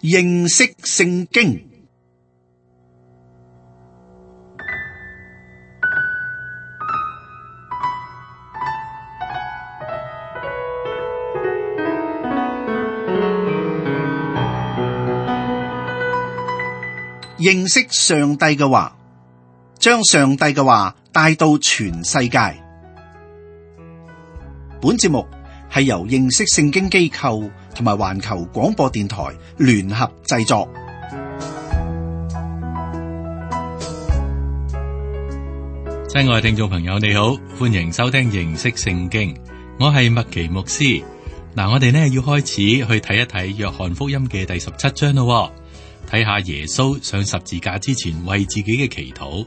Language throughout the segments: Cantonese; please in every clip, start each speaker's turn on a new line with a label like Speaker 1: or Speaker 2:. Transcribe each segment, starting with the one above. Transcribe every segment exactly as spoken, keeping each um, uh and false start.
Speaker 1: 認識聖經。認識上帝嘅話，將上帝嘅話帶到全世界。本節目係由認識聖經機構同埋環球廣播電台聯合製作。
Speaker 2: 親愛聽眾朋友，你好，歡迎收聽認識聖經。我係麥奇牧師。嗱，我哋呢要開始去睇一睇約翰福音嘅第十七章咯。睇下耶穌上十字架之前為自己嘅祈禱。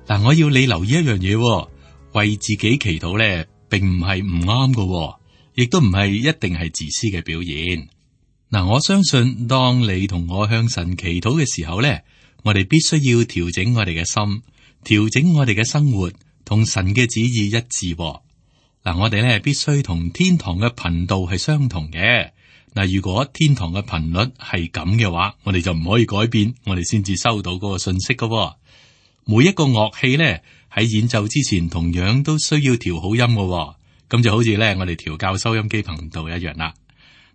Speaker 2: 嗱，我要你留意一樣嘢，為自己祈禱咧，並唔係唔啱㗎，亦都唔係一定係自私嘅表現。嗱，我相信當你同我向神祈禱嘅時候咧，我哋必須要調整我哋嘅心，調整我哋嘅生活，同神嘅旨意一致。嗱，我哋咧必須同天堂嘅頻道係相同嘅。嗱，如果天堂嘅頻率係咁嘅話，我哋就唔可以改變，我哋先至收到嗰個信息㗎。每一個樂器咧喺演奏之前，同樣都需要調好音㗎。咁就好似咧我哋調校收音機頻道一樣啦。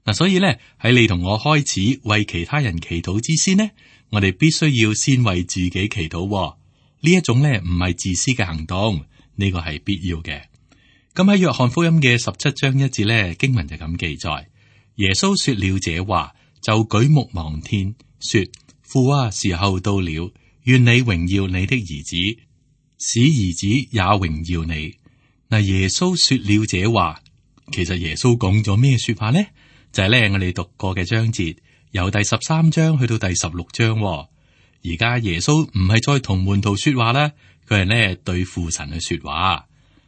Speaker 2: 嗱，所以咧喺你同我開始為其他人祈禱之先呢，我哋必須要先為自己祈禱。呢一種咧唔係自私嘅行動，呢個係必要嘅。咁喺約翰福音嘅十七章一節咧，經文就咁記載。耶穌說了這話，就舉目望天，說：父啊，時候到了，願你榮耀你的兒子，使兒子也榮耀你。嗱，耶穌說了這話，其實耶穌講咗咩說話呢？就係咧我哋讀過嘅章節，由第十三章去到第十六章。而家耶穌唔係再同門徒說話啦，佢係咧對父神去說話。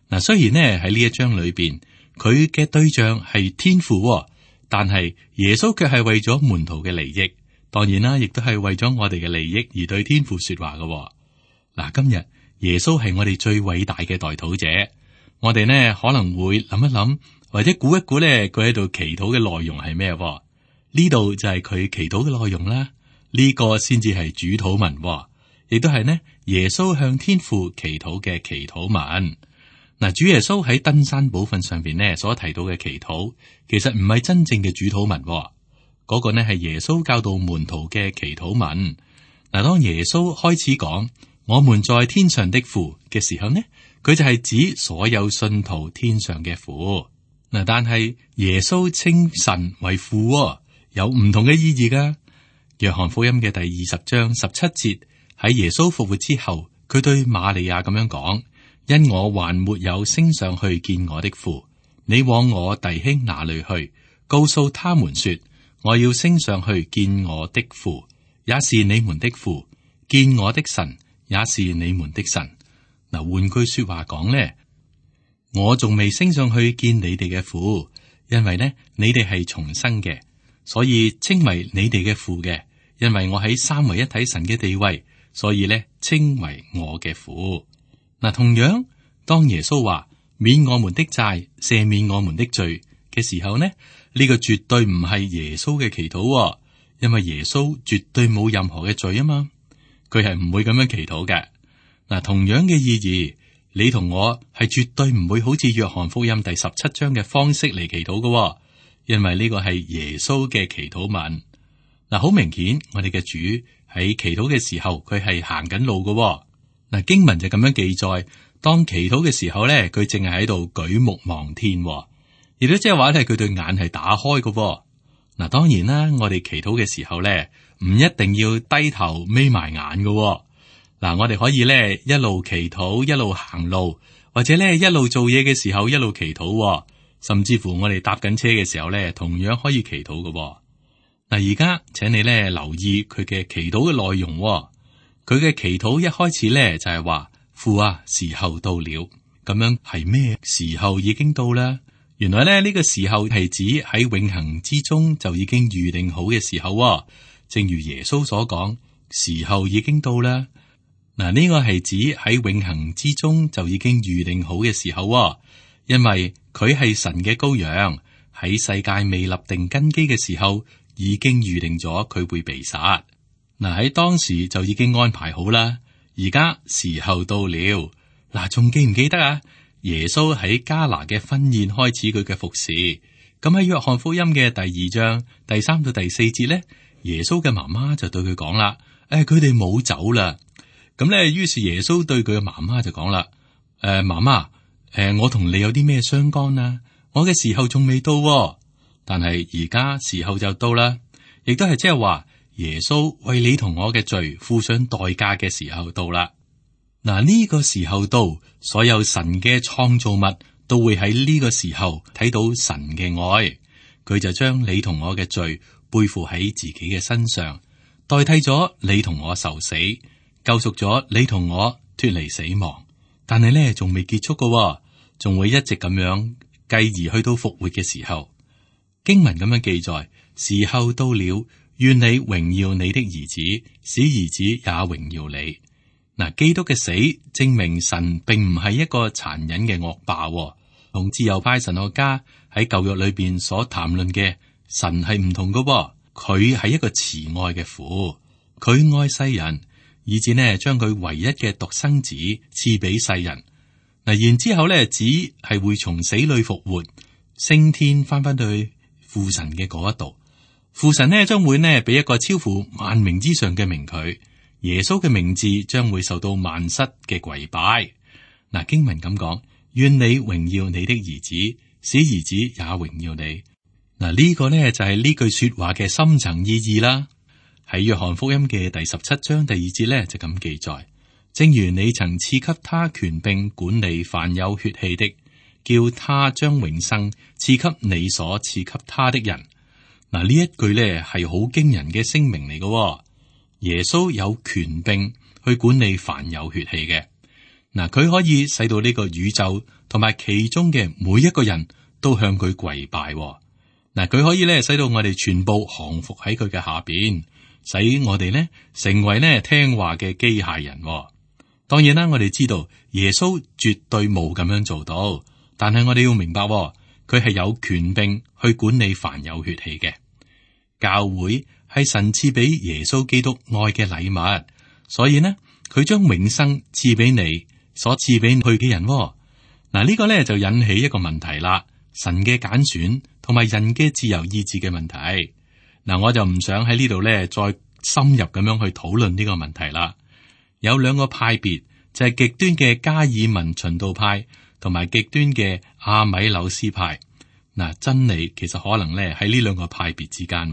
Speaker 2: 嗱，雖然呢喺呢一章裏邊，佢嘅對象係天父。但係耶穌卻係為咗門徒嘅利益，當然啦，亦都係為咗我哋嘅利益而對天父說話嘅。嗱，今日耶穌係我哋最偉大嘅代禱者，我哋呢可能會諗一諗，或者估一估咧，佢喺度祈禱嘅內容係咩？呢度就係佢祈禱嘅內容啦。呢個先至係主禱文，亦都係呢耶穌向天父祈禱嘅祈禱文。嗱，主耶穌喺登山寶訓上邊呢所提到嘅祈禱，其實唔係真正嘅主禱文，嗰、那個呢係耶穌教導門徒嘅祈禱文。嗱，當耶穌開始講我們在天上的父嘅時候呢，佢就係指所有信徒天上嘅父。嗱，但係耶穌稱神為父，有唔同嘅意義噶。約翰福音嘅第二十章十七節，喺耶穌復活之後，佢對瑪利亞咁樣講。因我還沒有升上去見我的父，你往我弟兄那裏去，告訴他們說，我要升上去見我的父，也是你們的父，見我的神，也是你們的神。嗱，換句說話講呢，我仲未升上去見你哋嘅父，因為呢，你哋係重生嘅，所以稱為你哋嘅父嘅。因為我喺三位一體神嘅地位，所以呢，稱為我嘅父。嗱，同樣當耶穌話免我們的債、赦免我們的罪嘅時候呢，呢個絕對唔係耶穌嘅祈禱，因為耶穌絕對冇任何嘅罪啊嘛，佢係唔會咁樣祈禱嘅。嗱，同樣嘅意義，你同我係絕對唔會好似約翰福音第十七章嘅方式嚟祈禱嘅，因為呢個係耶穌嘅祈禱文。嗱，好明顯，我哋嘅主喺祈禱嘅時候，佢係行緊路嘅。嗱，經文就咁樣記載，當祈禱嘅時候咧，佢淨係喺度舉目望天，亦都即係話咧，佢對眼係打開嘅。嗱，當然啦，我哋祈禱嘅時候咧，唔一定要低頭眯埋眼嘅。嗱，我哋可以咧一路祈禱，一路行路，或者咧一路做嘢嘅時候一路祈禱，甚至乎我哋搭緊車嘅時候咧，同樣可以祈禱嘅。嗱，而家請你咧留意佢嘅祈禱嘅內容。佢嘅祈禱一開始咧就係話，父啊，時候到了。咁樣係咩時候已經到啦？原來咧呢個時候係指喺永恆之中就已經預定好嘅時候。正如耶穌所講，時候已經到啦。嗱，呢個係指喺永恆之中就已經預定好嘅時候，因為佢係神嘅羔羊，喺世界未立定根基嘅時候，已經預定咗佢會被殺。嗱，喺當時就已經安排好啦。而家時候到了。嗱，仲記唔記得啊？耶穌喺迦拿嘅婚宴開始佢嘅服侍。咁喺約翰福音嘅第二章第三到第四節咧，耶穌嘅媽媽就對佢講啦：誒，佢哋冇走啦。咁咧，於是耶穌對佢嘅媽媽就講啦：誒，媽媽，誒，我同你有啲咩相干啊？我嘅時候仲未到喎，但係而家時候就到啦，亦都係即係話耶穌為你同我嘅罪付上代價嘅時候到啦。嗱，呢個時候到，所有神嘅創造物都會喺呢個時候睇到神嘅愛，佢就將你同我嘅罪背負喺自己嘅身上，代替咗你同我受死，救贖咗你同我脫離死亡。但係咧，仲未結束㗎，仲會一直咁樣，繼而去到復活嘅時候。經文咁樣記載：時候到了，願你榮耀你的兒子，使兒子也榮耀你。嗱，基督嘅死證明神並唔係一個殘忍嘅惡霸，同自由派神學家喺舊約裏邊所談論嘅神係唔同㗎。佢係一個慈愛嘅父，佢愛世人，以至呢將佢唯一嘅獨生子賜俾世人。嗱，然之後呢，子係會從死裏復活，升天翻翻去父神嘅嗰一度。父神呢將會呢俾一個超乎萬名之上嘅名佢。耶穌嘅名字將會受到萬膝嘅跪拜。嗱，經文咁講：願你榮耀你的兒子，使兒子也榮耀你。嗱，呢個呢就係呢句說話嘅深層意義啦。喺約翰福音嘅第十七章第二節呢，就咁記載：正如你曾賜給他權柄管理凡有血氣的，叫他將永生賜給你所賜給他的人。嗱，呢一句呢係好驚人嘅聲明嚟嘅。耶穌有權柄去管理凡有血氣嘅。嗱，佢可以使到呢個宇宙同埋其中嘅每一個人都向佢跪拜。嗱，佢可以咧使到我哋全部降服喺佢嘅下邊，使我哋呢成為呢聽話嘅機械人。當然啦，我哋知道耶穌絕對冇咁樣做到，但係我哋要明白，佢係有權柄去管理凡有血氣嘅。教會係神賜俾耶穌基督愛嘅禮物，所以呢，佢將永生賜俾你所賜俾佢嘅人。嗱，呢個咧就引起一個問題啦，神嘅揀選同埋人嘅自由意志嘅問題。嗱，我就唔想喺呢度咧再深入咁樣去討論呢個問題啦。有兩個派別，就係極端嘅加爾文循道派同埋極端嘅阿米紐斯派。嗱，真理其實可能咧喺呢兩個派別之間。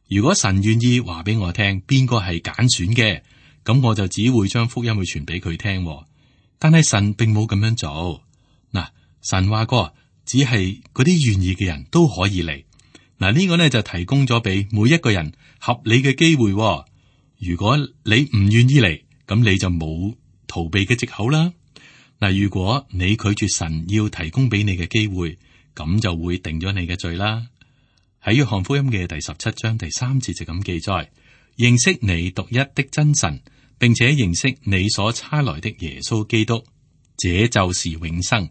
Speaker 2: 如果神願意話俾我聽邊個係揀選嘅，咁我就只會將福音去傳俾佢聽。但係神並冇咁樣做。嗱，神話過，只係嗰啲願意嘅人都可以嚟。嗱，呢個呢就提供咗俾每一個人合理嘅機會。如果你唔願意嚟，咁你就冇逃避嘅藉口啦。嗱，如果你拒絕神要提供俾你嘅機會，咁就會定咗你嘅罪啦。喺約翰福音嘅第十七章第三節就咁記載：認識你獨一的真神，並且認識你所差來的耶穌基督，這就是永生。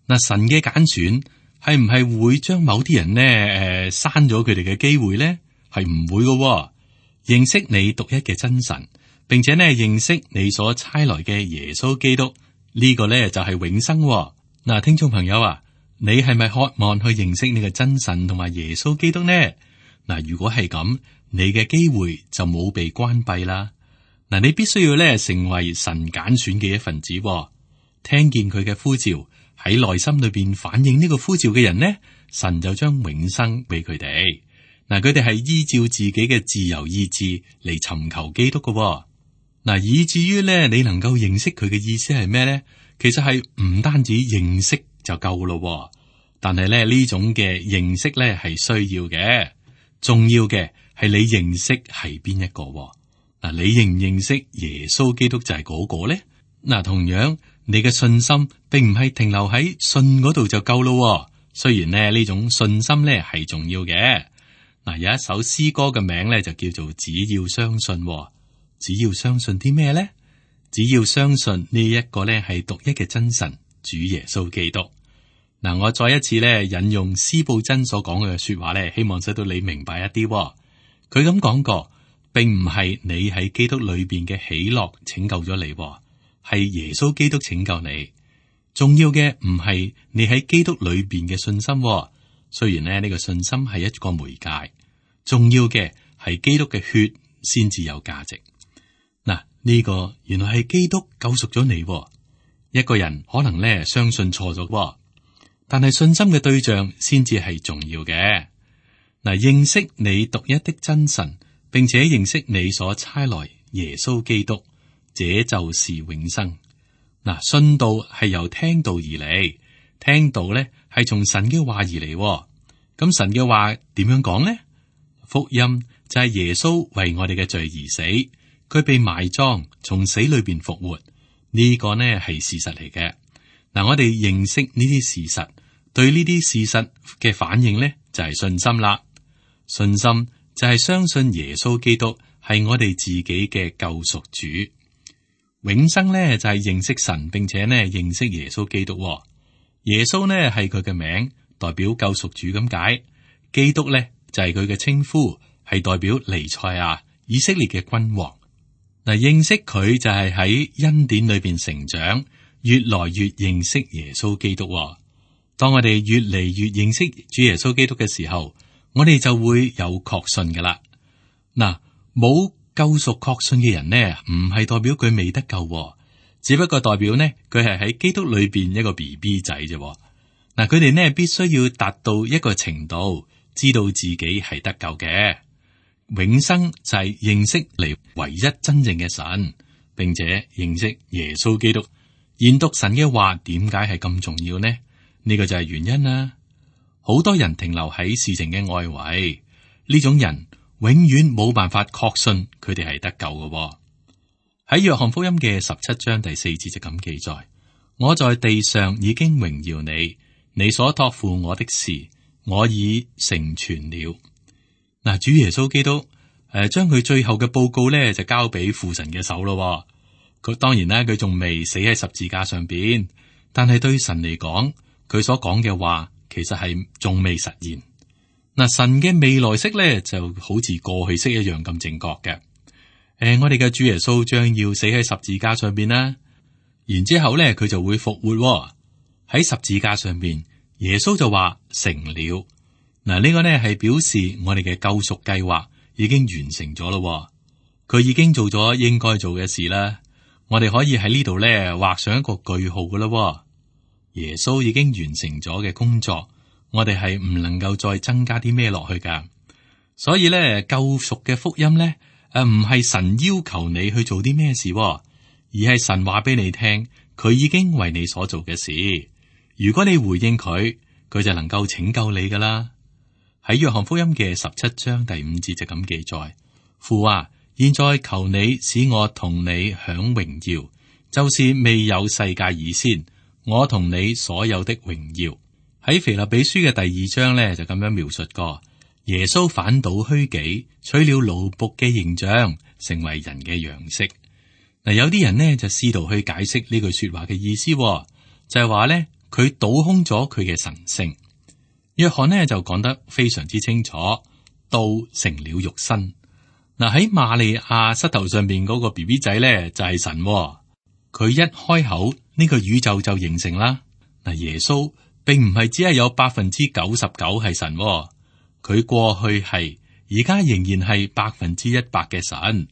Speaker 2: 嗱，神嘅揀選係唔係會將某啲人呢誒刪咗佢哋嘅機會呢？係唔會嘅。認識你獨一嘅真神，並且呢認識你所差來嘅耶穌基督，呢個呢就係永生。嗱，聽眾朋友啊，你係咪渴望去認識你嘅真神同埋耶穌基督呢？嗱，如果係咁，你嘅機會就冇被關閉啦。嗱，你必須要咧成為神揀選嘅一份子，聽見佢嘅呼召，喺內心裏邊反映呢個呼召嘅人呢，神就將永生俾佢哋。嗱，佢哋係依照自己嘅自由意志嚟尋求基督嘅。嗱，以至於咧你能夠認識佢嘅意思係咩咧？其實係唔單止認識就夠咯，但係咧呢種嘅認識咧係需要嘅，重要嘅係你認識係邊一個。嗱，你認唔認識耶穌基督就係嗰個咧？嗱，同樣你嘅信心並唔係停留喺信嗰度就夠咯。雖然咧呢種信心咧係重要嘅。嗱，有一首詩歌嘅名咧就叫做只要相信。只要相信啲咩咧？只要相信呢一個咧係獨一嘅真神主耶穌基督。嗱，我再一次咧引用司布真所講嘅說話咧，希望使到你明白一啲。佢咁講過，並唔係你喺基督裏邊嘅喜樂拯救咗你，係耶穌基督拯救你。重要嘅唔係你喺基督裏邊嘅信心，雖然咧呢個信心係一個媒介，重要嘅係基督嘅血先至有價值。嗱，呢個原來係基督救贖咗你。一個人可能咧相信錯咗。但係信心嘅對象先至係重要嘅。嗱，認識你獨一的真神，並且認識你所差來耶穌基督，這就是永生。嗱，信道係由聽道而嚟，聽道咧係從神嘅話而嚟。咁神嘅話點樣講呢？福音就係耶穌為我哋嘅罪而死，佢被埋葬，從死裏邊復活。呢個呢係事實嚟嘅。嗱，我哋認識呢啲事實，對呢啲事實嘅反應呢，就係信心啦。信心就係相信耶穌基督係我哋自己嘅救贖主。永生呢，就係認識神，並且呢認識耶穌基督。耶穌呢係佢嘅名，代表救贖主咁解。基督呢就係佢嘅稱呼，係代表彌賽亞，以色列嘅君王。嗱，認識佢就係喺恩典裏邊成長，越來越認識耶穌基督。當我哋越嚟越認識主耶穌基督嘅時候，我哋就會有確信噶啦。嗱，冇救贖確信嘅人呢，唔係代表佢未得救，只不過代表呢佢係喺基督裏邊一個 B B 仔啫。嗱，佢哋呢必須要達到一個程度，知道自己係得救嘅。永生就係認識嚟唯一真正嘅神，並且認識耶穌基督。研讀神嘅話，點解係咁重要呢？呢個就係原因啦。好多人停留喺事情嘅外圍，呢種人永遠冇辦法確信佢哋係得救嘅。喺約翰福音嘅十七章第四節就咁記載：我在地上已經榮耀你，你所託付我的事，我已成全了。嗱，主耶穌基督誒，將佢最後嘅報告咧就交俾父神嘅手咯。佢當然啦，佢仲未死喺十字架上邊，但係對神嚟講，佢所講嘅話其實係仲未實現。嗱，神嘅未來式咧就好似過去式一樣咁正確嘅。誒、呃，我哋嘅主耶穌將要死喺十字架上邊啦，然之後咧佢就會復活喺十字架上邊。耶穌就話成了。嗱，呢個呢係表示我哋嘅救贖計劃已經完成咗咯。佢已經做咗應該做嘅事啦。我哋可以喺呢度呢畫上一個句號噶啦。耶穌已經完成咗嘅工作，我哋係唔能夠再增加啲咩落去噶。所以呢，救贖嘅福音呢，誒唔係神要求你去做啲咩事，而係神話俾你聽，佢已經為你所做嘅事。如果你回應佢，佢就能夠拯救你噶啦。喺約翰福音嘅十七章第五節就咁記載：父啊，現在求你使我同你享榮耀，就是未有世界以先，我同你所有的榮耀。喺腓立比書嘅第二章呢，就咁樣描述過：耶穌反倒虛己，取了奴僕嘅形象，成為人嘅樣式。嗱，有啲人呢就試圖去解釋呢句說話嘅意思，就係話呢，佢倒空咗佢嘅神性。約翰呢就講得非常之清楚，道成了肉身。嗱，喺瑪利亞膝頭上邊嗰個 B B 仔呢就係神，佢一開口呢個宇宙就形成啦。嗱，耶穌並唔係只係有百分之九十九係神，佢過去係，而家仍然係百分之一百嘅神。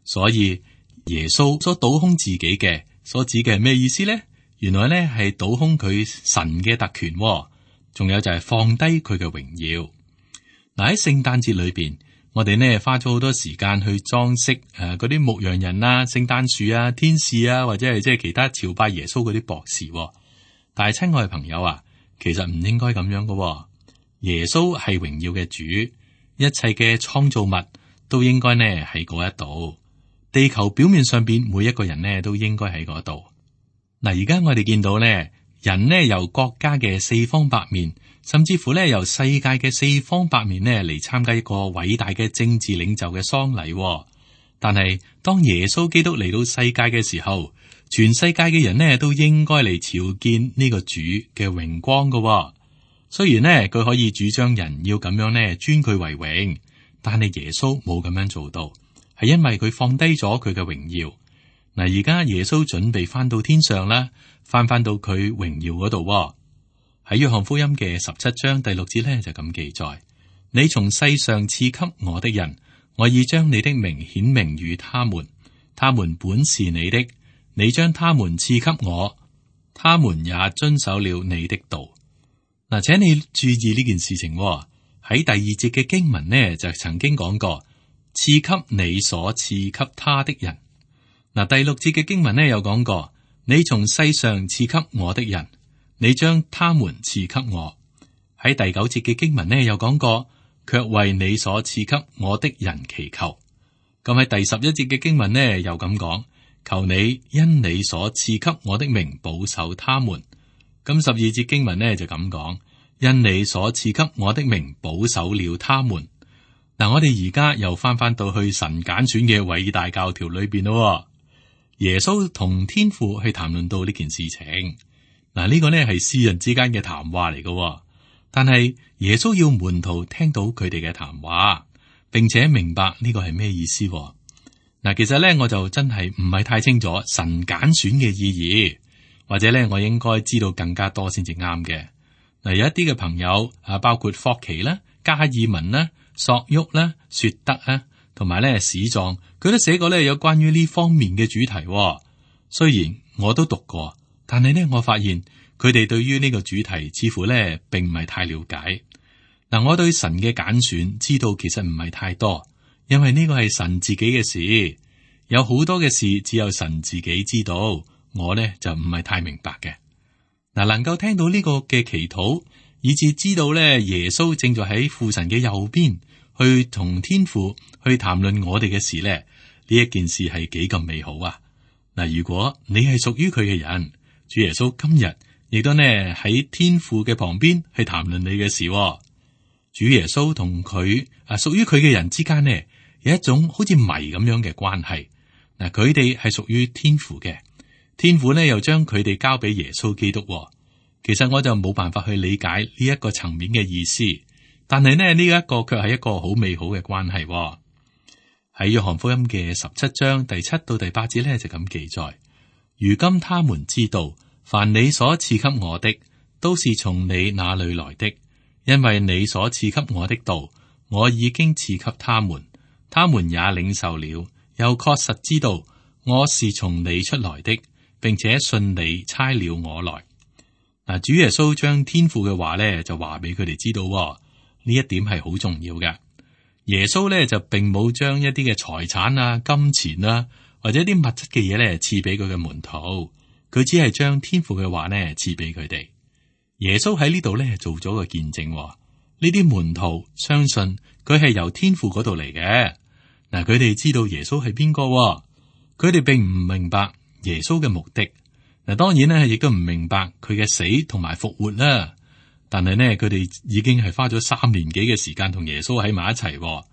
Speaker 2: 所以耶穌所倒空自己嘅，所指嘅係咩意思呢？原來呢係倒空佢神嘅特權。仲有就係放低佢嘅榮耀。嗱，喺聖誕節裏邊，我哋呢花咗好多時間去裝飾誒嗰啲牧羊人啊、聖誕樹啊、天使啊，或者係即係其他朝拜耶穌嗰啲博士。但係親愛嘅朋友啊，其實唔應該咁樣噶。耶穌係榮耀嘅主，一切嘅創造物都應該呢喺嗰一度。地球表面上邊每一個人呢都應該喺嗰度。嗱，而家我哋見到呢。人呢由國家嘅四方八面，甚至乎呢由世界嘅四方八面呢嚟參加一個偉大嘅政治領袖嘅喪禮。但係當耶穌基督嚟到世界嘅時候，全世界嘅人呢都應該嚟朝見呢個主嘅榮光㗎喎。雖然呢佢可以主張人要咁樣呢尊佢為榮，但係耶穌冇咁樣做到，係因為佢放低咗佢嘅榮耀。嗱，而家耶穌準備翻到天上啦，翻翻到佢榮耀嗰度喎。喺約翰福音嘅十七章第六節呢，就咁記載：你從世上賜給我的人，我已將你的名顯明與他們，他們本是你的，你將他們賜給我，他們也遵守了你的道。嗱，請你注意呢件事情喎。喺第二節嘅經文呢，就曾經講過賜給你所賜給他的人。嗱，第六節嘅經文呢，有講過你從世上賜給我的人，你將他們賜給我。喺第九節嘅經文呢，有講過卻為你所賜給我的人祈求。咁喺第十一節嘅經文呢，又咁講，求你因你所賜給我的名保守他們。咁十二節經文呢，就咁講，因你所賜給我的名保守了他們。嗱，我哋而家又翻翻到去神揀選嘅偉大教條裏邊咯。耶穌同天父去談論到呢件事情。嗱，呢個呢係私人之間嘅談話嚟嘅，但係耶穌要門徒聽到佢哋嘅談話，並且明白呢個係咩意思。嗱，其實呢，我就真係唔係太清楚神揀選嘅意義。或者咧，我應該知道更加多先至啱嘅。嗱，有一啲嘅朋友啊，包括霍奇啦、加爾文啦、索沃啦、雪德啊，同埋咧史壯，佢都寫過咧有關於呢方面嘅主題。雖然我都讀過，但係呢，我發現佢哋對於呢個主題似乎咧並唔係太了解。嗱，我對神嘅揀選知道其實唔係太多，因為呢個係神自己嘅事，有好多嘅事只有神自己知道。我呢就唔係太明白嘅。嗱，能夠聽到呢個嘅祈禱，以至知道咧耶穌正在喺父神嘅右邊，去同天父去談論我哋嘅事咧，呢一件事係幾咁美好啊！嗱，如果你係屬於佢嘅人，主耶穌今日亦都呢喺天父嘅旁邊去談論你嘅事。主耶穌同佢啊屬於佢嘅人之間呢，有一種好似謎咁樣嘅關係。嗱，佢哋係屬於天父嘅。天父呢又將佢哋交俾耶穌基督。其實我就冇辦法去理解呢一個層面嘅意思，但係呢呢一個卻係一個好美好嘅關係。喺約翰福音嘅十七章第七到第八節呢，就咁記載：如今他們知道，凡你所賜給我的，都是從你那裏來的，因為你所賜給我的道，我已經賜給他們，他們也領受了，又確實知道我是從你出來的，並且信你差了我來。嗱，主耶穌將天父嘅話咧，就話俾佢哋知道，呢一點係好重要嘅。耶穌咧就並冇將一啲嘅財產啊、金錢啊，或者啲物質嘅嘢咧賜俾佢嘅門徒，佢只係將天父嘅話咧賜俾佢哋。耶穌喺呢度咧做咗個見證，呢啲門徒相信佢係由天父嗰度嚟嘅。嗱，佢哋知道耶穌係邊個，佢哋並唔明白耶穌嘅目的。嗱，當然咧，亦都唔明白佢嘅死同埋復活啦。但係呢，佢哋已經係花咗三年幾嘅時間同耶穌喺埋一齊，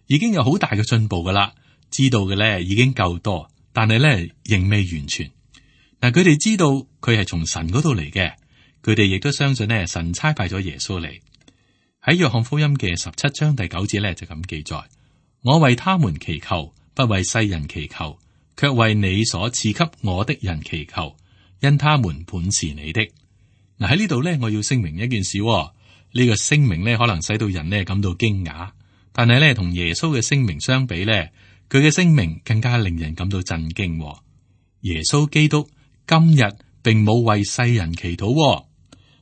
Speaker 2: 已經有好大嘅進步噶啦。知道嘅咧已經夠多，但係咧仍未完全。嗱，佢哋知道佢係從神嗰度嚟嘅，佢哋亦都相信呢，神差派咗耶穌嚟。喺約翰福音嘅十七章第九節咧就咁記載：我為他們祈求，不為世人祈求，卻為你所賜給我的人祈求，因他們本是你的。嗱，喺呢度咧，我要聲明一件事，呢、這個聲明咧可能使到人咧感到驚訝，但係咧同耶穌嘅聲明相比咧，佢嘅聲明更加令人感到震驚。耶穌基督今日並冇為世人祈禱，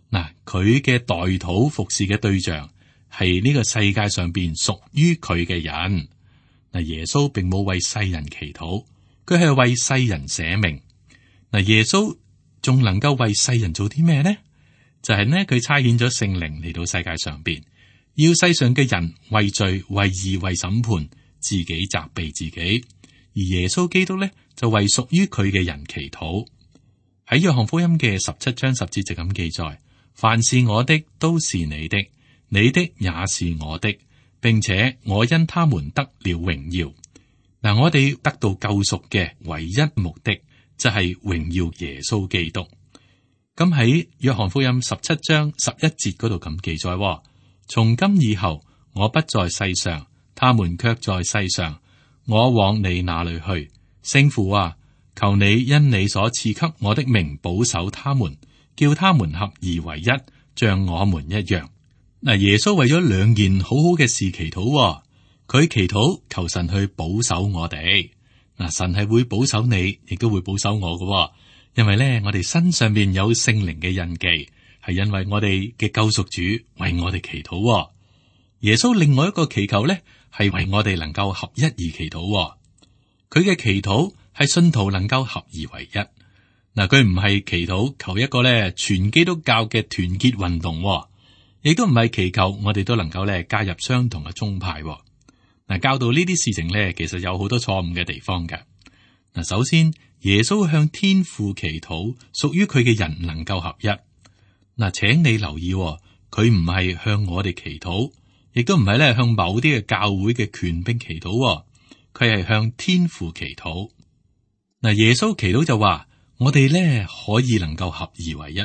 Speaker 2: 嗱，佢嘅代禱服侍嘅對象係呢個世界上邊屬於佢嘅人。嗱，耶穌並冇為世人祈禱，佢係為世人捨命。嗱，耶穌仲能夠為世人做啲咩呢？就係呢，佢差遣咗聖靈嚟到世界上邊，要世上嘅人為罪、為義、為審判，自己責備自己。而耶穌基督呢，就為屬於佢嘅人祈禱。喺約翰福音嘅十七章十節就咁記載：凡是我的，都是你的；你的也是我的，並且我因他們得了榮耀。嗱，我哋得到救贖嘅唯一目的，就係榮耀耶穌基督。咁喺約翰福音十七章十一節嗰度咁記載：從今以後，我不在世上，他們卻在世上。我往你那裏去，聖父啊，求你因你所賜給我的名保守他們，叫他們合而為一，像我們一樣。嗱，耶穌為咗兩件好好嘅事祈禱，佢祈禱求神去保守我哋。嗱，神係會保守你，亦都會保守我嘅，因為咧，我哋身上面有聖靈嘅印記，係因為我哋嘅救贖主為我哋祈禱。耶穌另外一個祈求咧，係為我哋能夠合一而祈禱。佢嘅祈禱係信徒能夠合而為一。嗱，佢唔係祈禱求一個咧全基督教嘅團結運動，亦都唔係祈求我哋都能夠咧加入相同嘅宗派。嗱，教導呢啲事情咧，其實有好多錯誤嘅地方嘅。嗱，首先耶穌向天父祈禱，屬於佢嘅人能夠合一。嗱，請你留意，佢唔係向我哋祈禱，亦都唔係咧向某啲嘅教會嘅權兵祈禱，佢係向天父祈禱。嗱，耶穌祈禱就話，我哋咧可以能夠合而為一。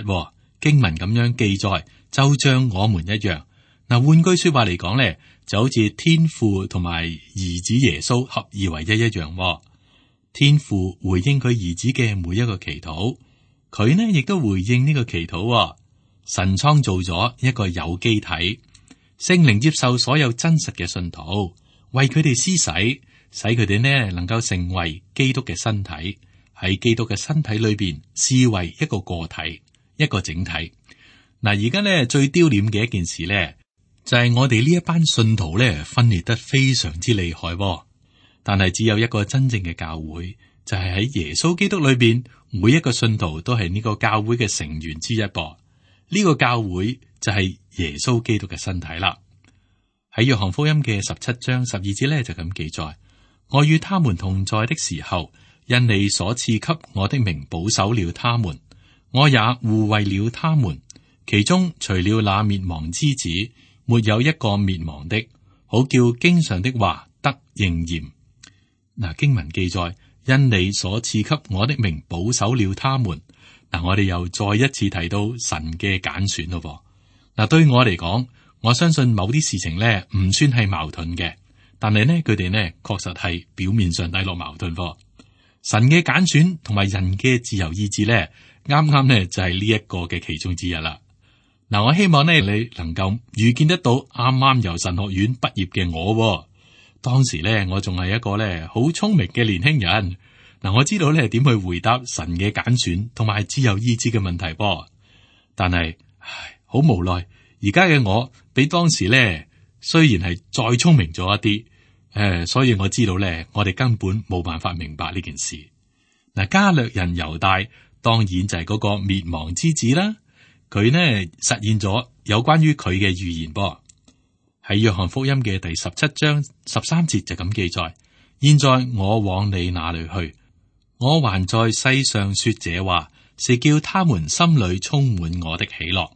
Speaker 2: 經文咁樣記載，就像我們一樣。嗱，換句說話嚟講咧，就好似天父同埋兒子耶穌合而為一一樣。天父回應佢兒子嘅每一個祈禱，佢呢亦都回應呢個祈禱。神創造咗一個有機體，聖靈接受所有真實嘅信徒，為佢哋施洗，使佢哋呢能夠成為基督嘅身體，喺基督嘅身體裏邊視為一個個體，一個整體。嗱，而家呢最丟臉嘅一件事呢，就係我哋呢一班信徒咧分裂得非常之厲害，但係只有一個真正嘅教會，就係喺耶穌基督裏邊，每一個信徒都係呢個教會嘅成員之一噃。呢個教會就係耶穌基督嘅身體啦。喺約翰福音嘅十七章十二節咧就咁記載：我與他們同在的時候，因你所賜給我的名保守了他們，我也護衛了他們。其中除了那滅亡之子，沒有一個滅亡的，好叫經上的話得應驗。嗱，經文記載，因你所賜給我的名保守了他們。嗱，我哋又再一次提到神嘅揀選咯。嗱，對我嚟講，我相信某啲事情咧唔算係矛盾嘅，但係呢，佢哋呢確實係表面上睇落矛盾。神嘅揀選同埋人嘅自由意志咧，啱啱呢就係呢一個嘅其中之一啦。嗱，我希望呢，你能夠預見得到啱啱由神學院畢業嘅我，當時咧我仲係一個咧好聰明嘅年輕人。嗱，我知道咧點去回答神嘅揀選同埋自由意志嘅問題噃，但係唉，好無奈，而家嘅我比當時咧雖然係再聰明咗一啲，誒，所以我知道咧，我哋根本冇辦法明白呢件事。嗱，加略人猶大當然就係嗰個滅亡之子啦。佢呢實現咗有關於佢嘅預言噃，喺約翰福音嘅第十七章十三節就咁記載：現在我往你那裏去，我還在世上說這話，是叫他們心裏充滿我的喜樂。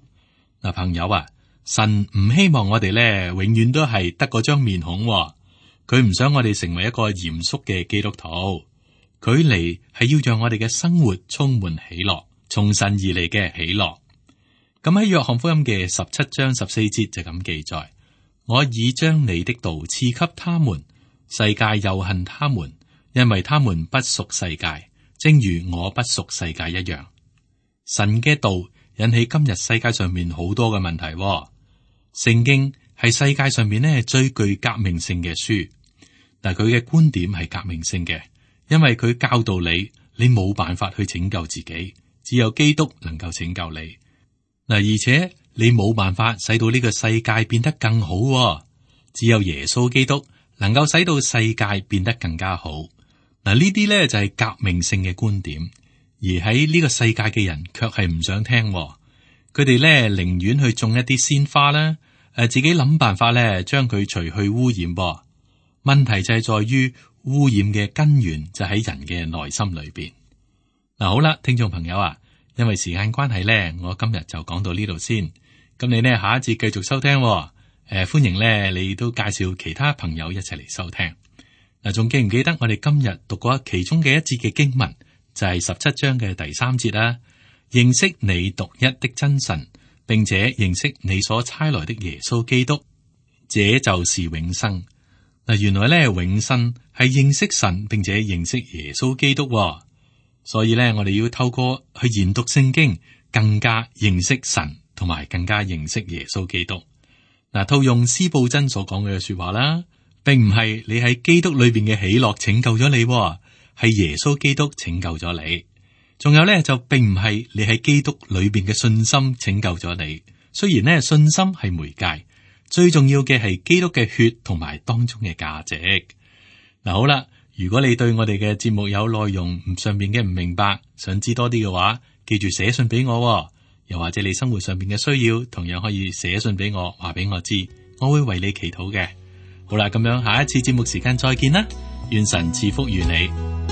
Speaker 2: 嗱，朋友啊，神唔希望我哋咧永遠都係得嗰張面孔，佢唔想我哋成為一個嚴肅嘅基督徒，佢嚟係要讓我哋嘅生活充滿喜樂，從神而嚟嘅喜樂。咁喺約翰福音嘅十七章十四節就咁記載：我已將你的道賜給他們，世界又恨他們，因為他們不屬世界，正如我不屬世界一樣。神嘅道引起今日世界上面好多嘅問題。聖經係世界上面呢最具革命性嘅書，但佢嘅觀點係革命性嘅，因為佢教導你，你冇辦法去拯救自己，只有基督能夠拯救你。嗱，而且你冇辦法使到呢個世界變得更好，只有耶穌基督能夠使到世界變得更加好。嗱，呢啲咧就係革命性嘅觀點，而喺呢個世界嘅人卻係唔想聽。佢哋咧寧願去種一啲鮮花啦，誒，自己諗辦法咧將佢除去污染。噃，問題就係在於污染嘅根源就喺人嘅內心裏邊。嗱，好啦，聽眾朋友啊。因為時間關係咧，我今日就講到呢度先。咁你呢，下一節繼續收聽，誒、呃，歡迎咧你都介紹其他朋友一齊嚟收聽。嗱，仲記唔記得我哋今日讀過其中嘅一節嘅經文？就係十七章嘅第三節啦。認識你獨一的真神，並且認識你所差來的耶穌基督，這就是永生。嗱，原來咧永生係認識神，並且認識耶穌基督。所以咧，我哋要透過去研讀聖經，更加認識神，同埋更加認識耶穌基督。嗱，套用司布真所講嘅說話啦，並唔係你喺基督裏邊嘅喜樂拯救咗你，係耶穌基督拯救咗你。仲有咧，就並唔係你喺基督裏邊嘅信心拯救咗你。雖然咧信心係媒介，最重要嘅係基督嘅血同埋當中嘅價值。嗱，好啦，如果你對我哋嘅節目有內容上面嘅唔明白，想知多啲嘅話，記住寫信俾我。又或者你生活上面嘅需要，同樣可以寫信俾我，話俾我知，我會為你祈禱嘅。好啦，咁樣下一次節目時間再見啦，願神賜福於你。